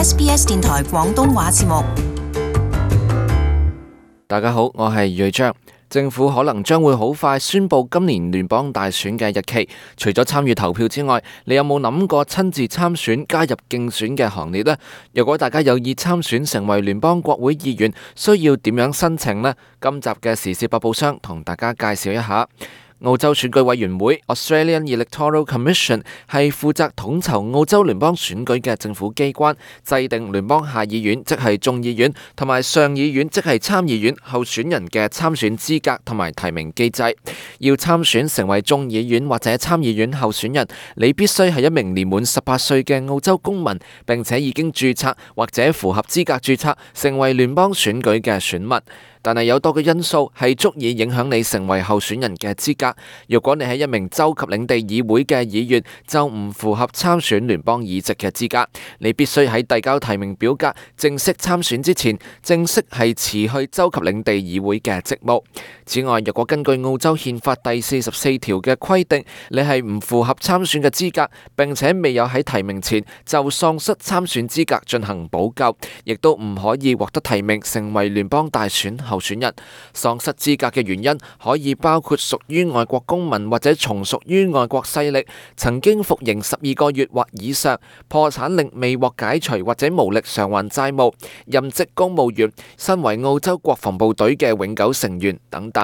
SBS 電台廣東話節目。大家好，我係瑞章。政府可能將會好快宣布今年聯邦大選嘅日期。除咗參與投票之外，你有冇諗過親自參選加入競選嘅行列呢？如果大家有意參選成為聯邦國會議員，需要點樣申請呢？今集嘅時事百寶箱同大家介紹一下。澳洲選舉委員會 Australian Electoral Commission 係負責統籌澳洲聯邦選舉嘅政府機關，制定聯邦下議院即係眾議院同埋上議院即係參議院候選人嘅參選資格同埋提名機制。要參選成為眾議院或者參議院候選人，你必須係一名年滿18歲嘅澳洲公民，並且已經註冊或者符合資格註冊成為聯邦選舉嘅選民。但係有多個因素係足以影響你成為候選人嘅資格。如果你係一名州及領地議會嘅議員，就唔符合參選聯邦議席嘅資格。你必須喺遞交提名表格正式參選之前，正式係辭去州及領地議會嘅職務。此外，若果根據澳洲憲法第44條嘅規定，你係唔符合參選嘅資格，並且未有喺提名前就喪失參選資格進行補救，亦都唔可以獲得提名成為聯邦大選候選人。喪失資格嘅原因可以包括屬於外國公民或者從屬於外國勢力，曾經服刑12個月或以上，破產令未獲解除或者無力償還債務，任職公務員，身為澳洲國防部隊嘅永久成員等等。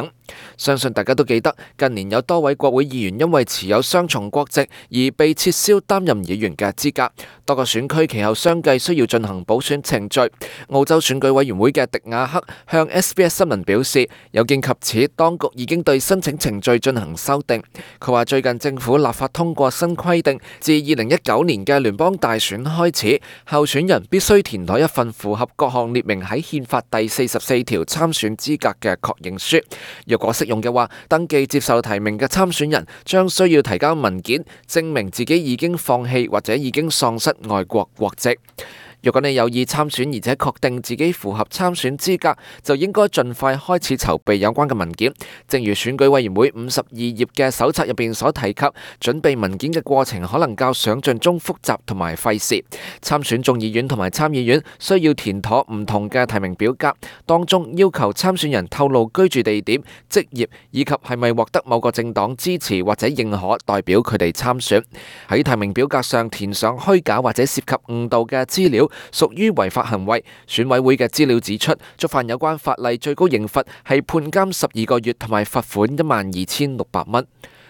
相信大家都記得，近年有多位國會議員因為持有雙重國籍而被撤銷擔任議員嘅資格。多個選區其後相繼需要進行補選程序。澳洲選舉委員會嘅迪亞克向 SBS 新聞表示，有見及此，當局已經對申請程序進行修訂。佢話最近政府立法通過新規定，自2019年嘅聯邦大選開始，候選人必須填妥一份符合各項列明喺憲法第44條參選資格嘅確認書。若果適用嘅話，登記接受提名嘅參選人將需要提交文件，證明自己已經放棄或者已經喪失外國國籍。如果你有意參選而且確定自己符合參選資格，就應該盡快開始籌備有關嘅文件。正如選舉委員會52頁嘅手冊入邊所提及，準備文件嘅過程可能較想像中複雜同埋費事。參選眾議院同埋參議院需要填妥唔同嘅提名表格，當中要求參選人透露居住地點、職業以及係咪獲得某個政黨支持或者認可代表佢哋參選。喺提名表格上填上虛假或者涉及誤導嘅資料，屬於違法行為。選委會嘅資料指出，觸犯有關法例最高刑罰係判監12個月同埋罰款12,600蚊。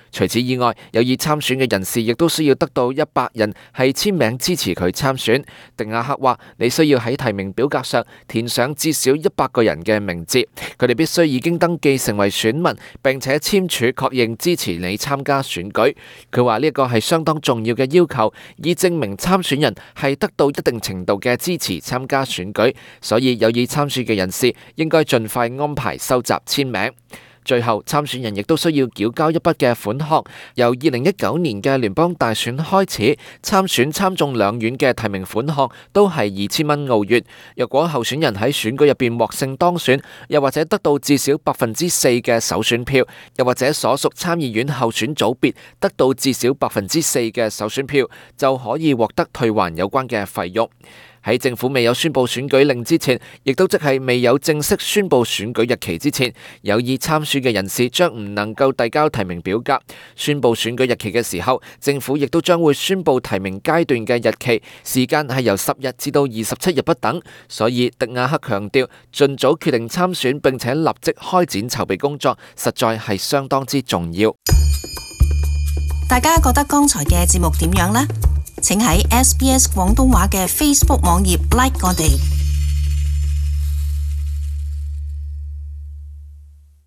除此以外，有意參選嘅人士亦都需要得到100人係簽名支持佢參選。迪亞克話，你需要喺提名表格上填上至少100個人嘅名字，佢哋必須已經登記成為選民，並且簽署確認支持你參加選舉。佢話呢個係相當重要嘅要求，以證明參選人係得到一定程度嘅支持參加選舉，所以有意參選嘅人士應該盡快安排收集簽名。最後，參選人亦都需要繳交一筆嘅款項。由2019年嘅聯邦大選開始，參選參眾兩院嘅提名款項都係2000蚊澳元。若果候選人喺選舉入邊獲勝當選，又或者得到至少4%嘅首選票，又或者所屬參議院候選組別得到至少4%嘅首選票，就可以獲得退還有關嘅費用。喺政府未有宣布選舉令之前，亦都即係未有正式宣布選舉日期之前，有意參選嘅人士將唔能夠遞交提名表格。宣布選舉日期嘅時候，政府亦都將會宣布提名階段嘅日期，時間係由10日至到27日不等。所以迪亞克強調，盡早決定參選並且立即開展籌備工作，實在係相當之重要。大家覺得剛才嘅節目點樣呢？請喺SBS 廣東話嘅 Facebook 網頁 like 我哋。